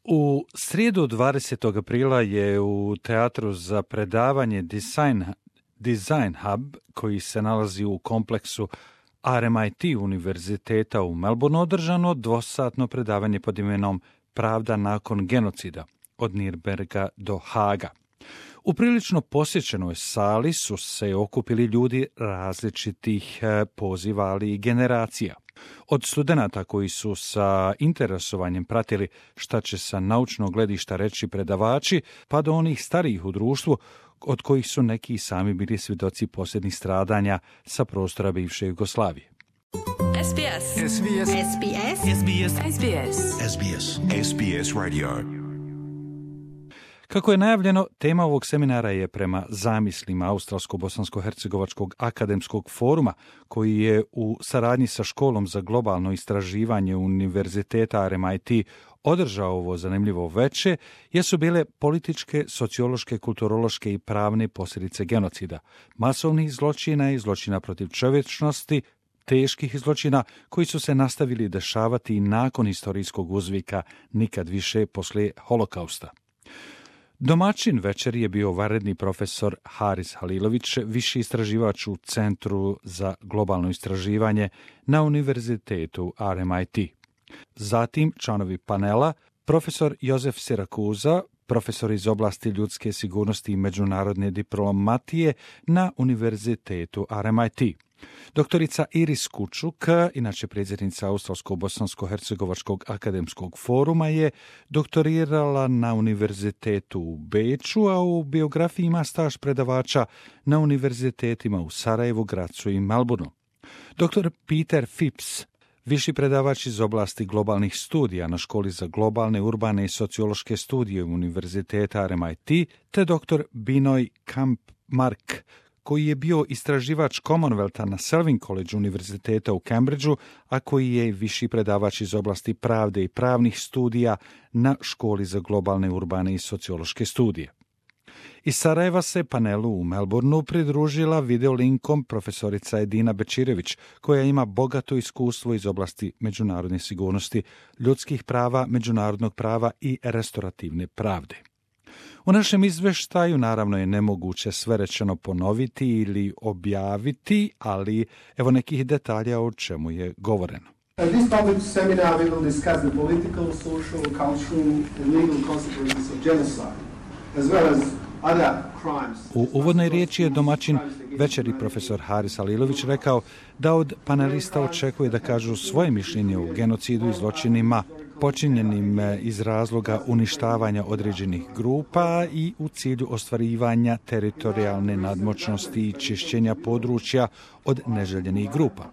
U srijedu 20. aprila je u Teatru za predavanje Design Hub, koji se nalazi u kompleksu RMIT Univerziteta u Melbourneu, održano dvosatno predavanje pod imenom Pravda nakon genocida, od Nürnberga do Haga. U prilično posjećenoj sali su se okupili ljudi različitih poziva, ali i generacija. Od studenata koji su sa interesovanjem pratili šta će sa naučnog gledišta reći predavači, pa do onih starijih u društvu, od kojih su neki sami bili svjedoci posljednjih stradanja sa prostora bivše Jugoslavije. SBS. SBS. SBS. SBS. SBS. SBS. SBS Radio. Kako je najavljeno, tema ovog seminara je prema zamislima Australsko-bosansko-hercegovačkog akademskog foruma, koji je u saradnji sa Školom za globalno istraživanje Univerziteta RMIT održao ovo zanimljivo veče, jesu bile političke, sociološke, kulturološke i pravne posljedice genocida, masovnih zločina i zločina protiv čovječnosti, teških zločina koji su se nastavili dešavati i nakon historijskog uzvika nikad više poslije holokausta. Domaćin večeri je bio vanredni profesor Haris Halilović, viši istraživač u Centru za globalno istraživanje na Univerzitetu RMIT. Zatim članovi panela, profesor Jozef Sirakuza, profesor iz oblasti ljudske sigurnosti i međunarodne diplomatije na Univerzitetu RMIT. Doktorica Iris Kučuk, inače predsjednica Australsko-bosansko-hercegovačkog akademskog foruma, je doktorirala na Univerzitetu u Beču, a u biografiji ima staž predavača na univerzitetima u Sarajevu, Gracu i Melbourneu. Dr. Peter Phipps, viši predavač iz oblasti globalnih studija na Školi za globalne, urbane i sociološke studije Univerziteta RMIT, te dr. Binoy Kampmark, koji je bio istraživač Commonwealtha na Selwyn College Univerziteta u Cambridgeu, a koji je viši predavač iz oblasti pravde i pravnih studija na Školi za globalne, urbane i sociološke studije. Iz Sarajeva se panelu u Melbourneu pridružila videolinkom profesorica Edina Bečirević, koja ima bogato iskustvo iz oblasti međunarodne sigurnosti, ljudskih prava, međunarodnog prava i restorativne pravde. U našem izveštaju naravno je nemoguće sve rečeno ponoviti ili objaviti, ali evo nekih detalja o čemu je govoreno. At this topic seminar we will discuss the political, social, cultural and legal consequences of genocide, as well as other crimes. U uvodnoj riječi je domaćin večeri profesor Haris Halilović rekao da od panelista očekuje da kažu svoje mišljenje o genocidu i zločinima počinjenim iz razloga uništavanja određenih grupa i u cilju ostvarivanja teritorijalne nadmoćnosti i čišćenja područja od neželjenih grupa.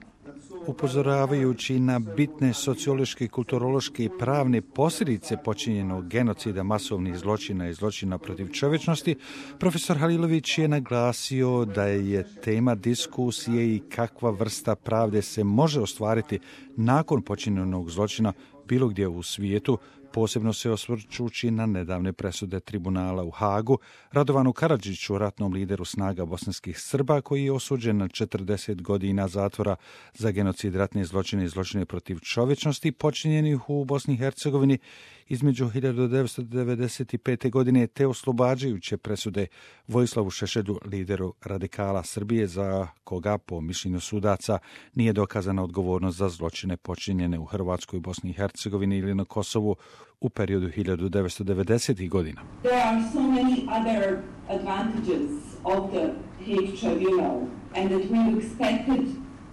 Upozoravajući na bitne sociološke, kulturološke i pravne posljedice počinjenog genocida, masovnih zločina i zločina protiv čovječnosti, profesor Halilović je naglasio da je tema diskusije i kakva vrsta pravde se može ostvariti nakon počinjenog zločina bilo gdje u svijetu, posebno se osvrćući na nedavne presude tribunala u Hagu, Radovanu Karadžiću, ratnom lideru snaga bosanskih Srba, koji je osuđen na 40 godina zatvora za genocid, ratne zločine i zločine protiv čovječnosti počinjenih u Bosni i Hercegovini između 1995. godine, te oslobađajuće presude Vojislavu Šešelju, lideru radikala Srbije, za koga, po mišljenju sudaca, nije dokazana odgovornost za zločine počinjene u Hrvatskoj, Bosni i Hercegovini ili na Kosovu u periodu 1990. godina. There are so many other advantages of the Hague Tribunal and that we expected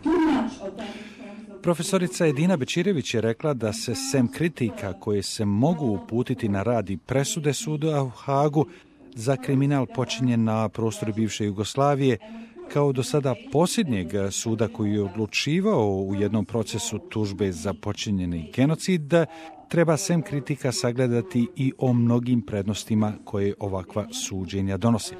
too much of them. Profesorica Edina Bečirević je rekla da se sem kritika koje se mogu uputiti na rad i presude suda u Hagu za kriminal počinjen na prostoru bivše Jugoslavije, kao do sada posljednjeg suda koji je odlučivao u jednom procesu tužbe za počinjeni genocid, treba sem kritika sagledati i o mnogim prednostima koje ovakva suđenja donosi.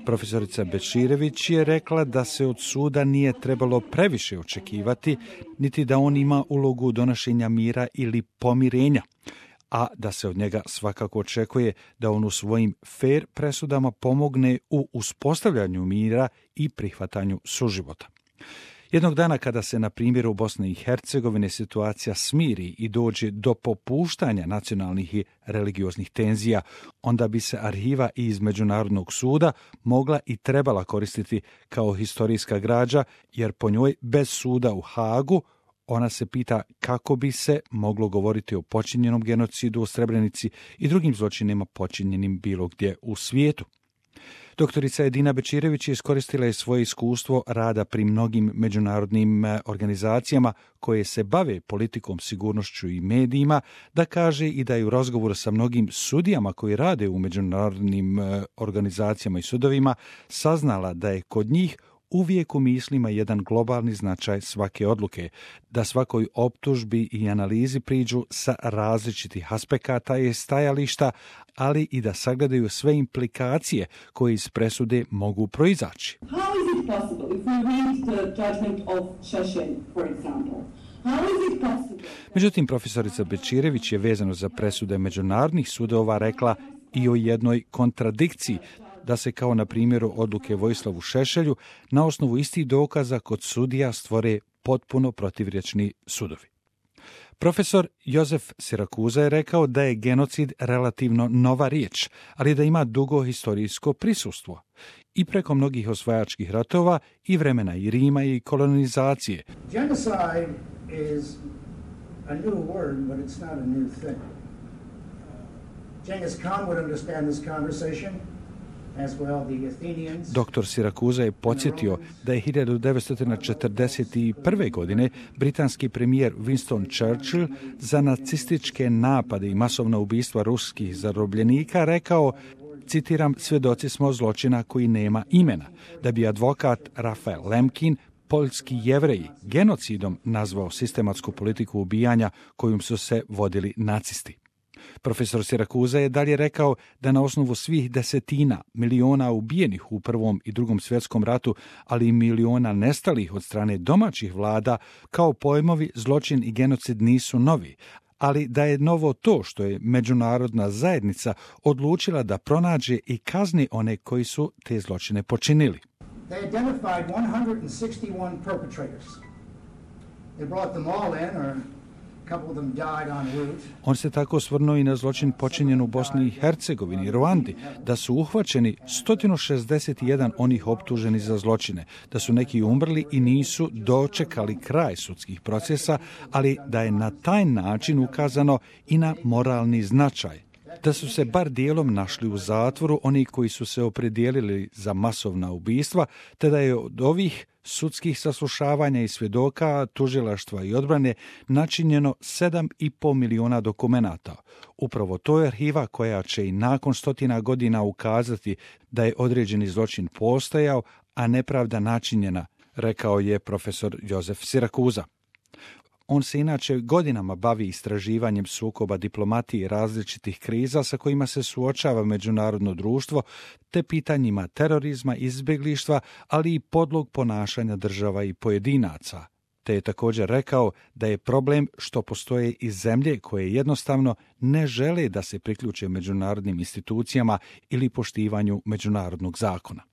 Profesorica Bečirević je rekla da se od suda nije trebalo previše očekivati, niti da on ima ulogu donošenja mira ili pomirenja, a da se od njega svakako očekuje da on u svojim fair presudama pomogne u uspostavljanju mira i prihvatanju suživota. Jednog dana kada se na primjeru Bosne i Hercegovine situacija smiri i dođe do popuštanja nacionalnih i religioznih tenzija, onda bi se arhiva iz Međunarodnog suda mogla i trebala koristiti kao historijska građa, jer po njoj bez suda u Hagu ona se pita kako bi se moglo govoriti o počinjenom genocidu u Srebrenici i drugim zločinima počinjenim bilo gdje u svijetu. Doktorica Edina Bećirević iskoristila je svoje iskustvo rada pri mnogim međunarodnim organizacijama koje se bave politikom, sigurnošću i medijima, da kaže i da je u razgovoru sa mnogim sudijama koji rade u međunarodnim organizacijama i sudovima saznala da je kod njih uvijek u mislima jedan globalni značaj svake odluke, da svakoj optužbi i analizi priđu sa različitih aspekata i stajališta, ali i da sagledaju sve implikacije koje iz presude mogu proizaći. How is it possible if we read the judgment of Šešelj, for example? How is it possible? Međutim, profesorica Bećirević je vezano za presude međunarodnih sudova rekla i o jednoj kontradikciji, da se kao na primjeru odluke Vojislavu Šešelju na osnovu istih dokaza kod sudija stvore potpuno protivrječni sudovi. Profesor Jozef Sirakuza je rekao da je genocid relativno nova riječ, ali da ima dugo historijsko prisustvo i preko mnogih osvajačkih ratova i vremena i Rima i kolonizacije. Genocide is a new word, but it's not a new thing. Genghis Khan would understand this conversation. Doktor Sirakuza je podsjetio da je 1941. godine britanski premijer Winston Churchill za nacističke napade i masovna ubistva ruskih zarobljenika rekao, citiram, svjedoci smo zločina koji nema imena, da bi advokat Rafael Lemkin poljski Jevreji genocidom nazvao sistematsku politiku ubijanja kojom su se vodili nacisti. Profesor Sirakuza je dalje rekao da na osnovu svih desetina miliona ubijenih u Prvom i Drugom svjetskom ratu, ali i miliona nestalih od strane domaćih vlada, kao pojmovi zločin i genocid nisu novi, ali da je novo to što je međunarodna zajednica odlučila da pronađe i kazni one koji su te zločine počinili. They identified 161 perpetrators. They brought them all in, or on se tako osvrnuo i na zločin počinjen u Bosni i Hercegovini i Ruandi, da su uhvaćeni 161 onih optuženih za zločine, da su neki umrli i nisu dočekali kraj sudskih procesa, ali da je na taj način ukazano i na moralni značaj, da su se bar dijelom našli u zatvoru oni koji su se opredijelili za masovna ubistva, te da je od ovih sudskih saslušavanja i svjedoka, tužilaštva i odbrane načinjeno 7,5 miliona dokumenata. Upravo to je arhiva koja će i nakon 100 godina ukazati da je određeni zločin postojao, a nepravda načinjena, rekao je profesor Jozef Sirakuza. On se inače godinama bavi istraživanjem sukoba diplomatije i različitih kriza sa kojima se suočava međunarodno društvo, te pitanjima terorizma, izbjeglištva, ali i podlog ponašanja država i pojedinaca. Te je također rekao da je problem što postoje i zemlje koje jednostavno ne žele da se priključe međunarodnim institucijama ili poštivanju međunarodnog zakona.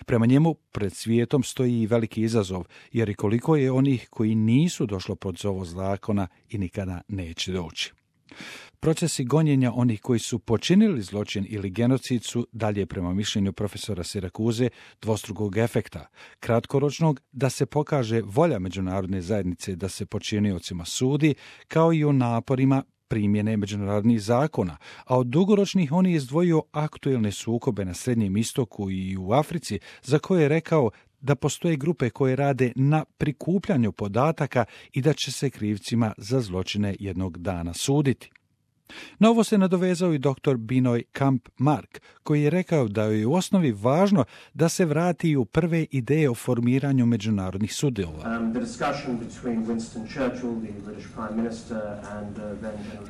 Prema njemu, pred svijetom stoji i veliki izazov, jer i koliko je onih koji nisu došlo pod zovu zakona i nikada neće doći. Procesi gonjenja onih koji su počinili zločin ili genocid su, dalje prema mišljenju profesora Sirakuze, dvostrukog efekta. Kratkoročnog, da se pokaže volja međunarodne zajednice da se počiniocima sudi, kao i o naporima primjene međunarodnih zakona, a od dugoročnih on je izdvojio aktuelne sukobe na Srednjem istoku i u Africi, za koje je rekao da postoje grupe koje rade na prikupljanju podataka i da će se krivcima za zločine jednog dana suditi. Na ovo se nadovezao i dr. Binoj Kamp-Mark, koji je rekao da je u osnovi važno da se vrati u prve ideje o formiranju međunarodnih sudova.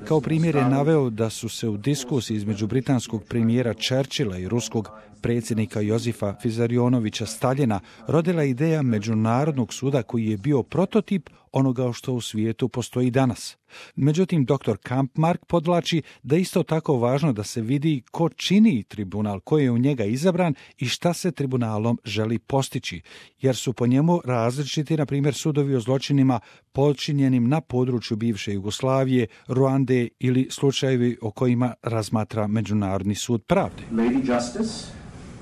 Kao primjer je naveo da su se u diskusiji između britanskog premijera Churchilla i ruskog predsjednika Jozifa Vizarionovića Staljina rodila ideja međunarodnog suda koji je bio prototip onoga što u svijetu postoji danas. Međutim, dr. Kampmark podvlači da isto tako važno da se vidi ko čini tribunal, ko je u njega izabran i šta se tribunalom želi postići, jer su po njemu različiti, na primjer, sudovi o zločinima počinjenim na području bivše Jugoslavije, Ruande ili slučajevi o kojima razmatra Međunarodni sud pravde. Lady Justice,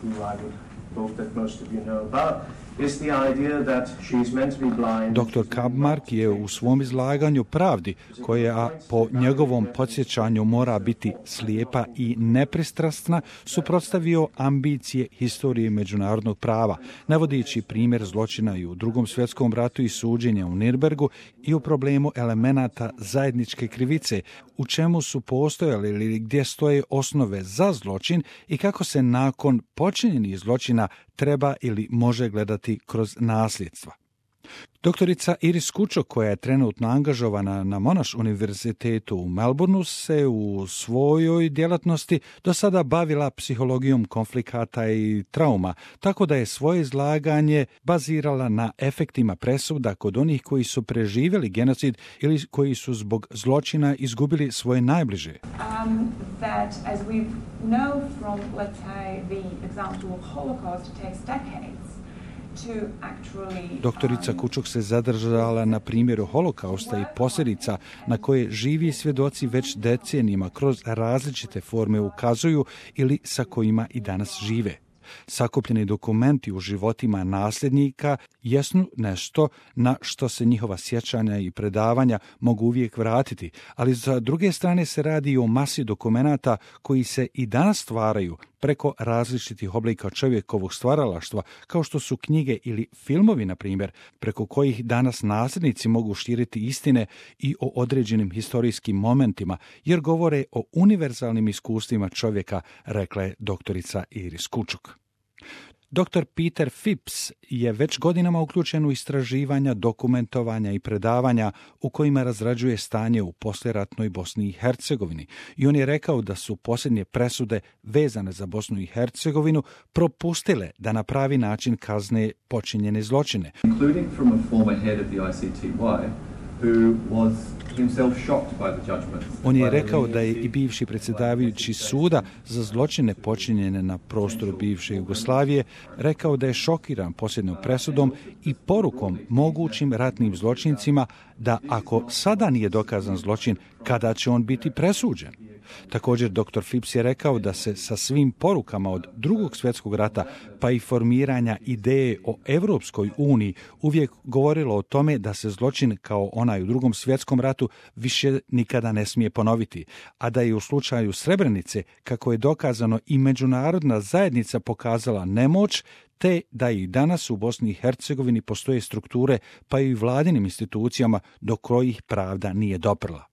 who I would hope that most of you know about, is the idea that she's meant to be blind. Dr. Kampmark je u svom izlaganju pravdi, koja po njegovom podsjećanju mora biti slijepa i nepristrasna, suprotstavio ambicije historije međunarodnog prava, navodići primjer zločina i u Drugom svjetskom ratu i suđenja u Nürnbergu i u problemu elemenata zajedničke krivice, u čemu su postojali ili gdje stoje osnove za zločin i kako se nakon počinjenih zločina treba ili može gledati kroz nasljedstva. Doktorica Iris Kučok, koja je trenutno angažovana na Monash univerzitetu u Melbourneu, se u svojoj djelatnosti do sada bavila psihologijom konflikata i trauma, tako da je svoje izlaganje bazirala na efektima presuda kod onih koji su preživjeli genocid ili koji su zbog zločina izgubili svoje najbliže. That as we know from, let's say, the example of Holocaust, it takes decades. Doktorica Kučok se zadržala na primjeru holokausta i posljedica na koje živi svjedoci već decenijima kroz različite forme ukazuju ili sa kojima i danas žive. Sakupljeni dokumenti u životima nasljednika jesu nešto na što se njihova sjećanja i predavanja mogu uvijek vratiti, ali za druge strane se radi o masi dokumenata koji se i danas stvaraju preko različitih oblika čovjekovog stvaralaštva, kao što su knjige ili filmovi, na primjer, preko kojih danas nasljednici mogu širiti istine i o određenim historijskim momentima, jer govore o univerzalnim iskustvima čovjeka, rekla je doktorica Iris Kučok. Dr. Peter Phipps je već godinama uključen u istraživanja, dokumentovanja i predavanja u kojima razrađuje stanje u poslijeratnoj Bosni i Hercegovini. I on je rekao da su posljednje presude vezane za Bosnu i Hercegovinu propustile da na pravi način kazne počinjene zločine. Including from a former head of the ICTY, who was himself shocked by the judgment. On je rekao da je i bivši predsjedavajući suda za zločine počinjene na prostoru bivše Jugoslavije rekao da je šokiran posljednjom presudom i porukom mogućim ratnim zločincima da ako sada nije dokazan zločin, kada će on biti presuđen. Također, dr. Phipps je rekao da se sa svim porukama od Drugog svjetskog rata pa i formiranja ideje o Europskoj uniji uvijek govorilo o tome da se zločin kao onaj u Drugom svjetskom ratu više nikada ne smije ponoviti, a da je u slučaju Srebrenice, kako je dokazano, i međunarodna zajednica pokazala nemoć, te da i danas u Bosni i Hercegovini postoje strukture pa i vladinim institucijama do kojih pravda nije doprla.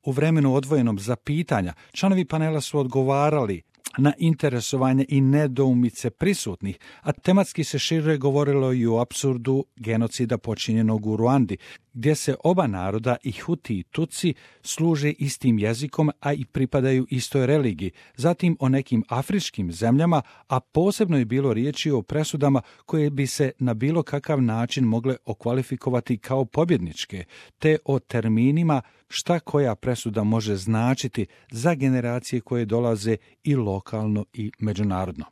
U vremenu odvojenom za pitanja, članovi panela su odgovarali na interesovanje i nedoumice prisutnih, a tematski se šire govorilo i o apsurdu genocida počinjenog u Ruandi, gdje se oba naroda, i Huti i Tutsi, služe istim jezikom, a i pripadaju istoj religiji. Zatim o nekim afričkim zemljama, a posebno je bilo riječi o presudama koje bi se na bilo kakav način mogle okvalifikovati kao pobjedničke, te o terminima šta koja presuda može značiti za generacije koje dolaze i lokalno i međunarodno.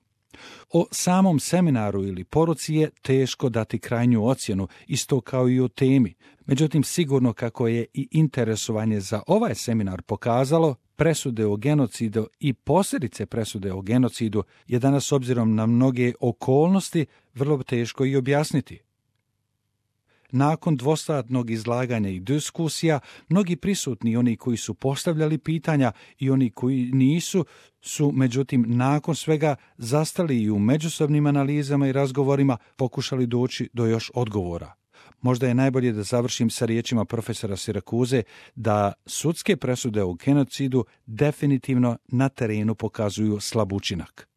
O samom seminaru ili poruci je teško dati krajnju ocjenu, isto kao i o temi. Međutim, sigurno kako je i interesovanje za ovaj seminar pokazalo, presude o genocidu i posljedice presude o genocidu je danas, obzirom na mnoge okolnosti, vrlo teško i objasniti. Nakon dvosatnog izlaganja i diskusija, mnogi prisutni, oni koji su postavljali pitanja i oni koji nisu, su međutim nakon svega zastali i u međusobnim analizama i razgovorima pokušali doći do još odgovora. Možda je najbolje da završim sa riječima profesora Sirakuze da sudske presude o genocidu definitivno na terenu pokazuju slab učinak.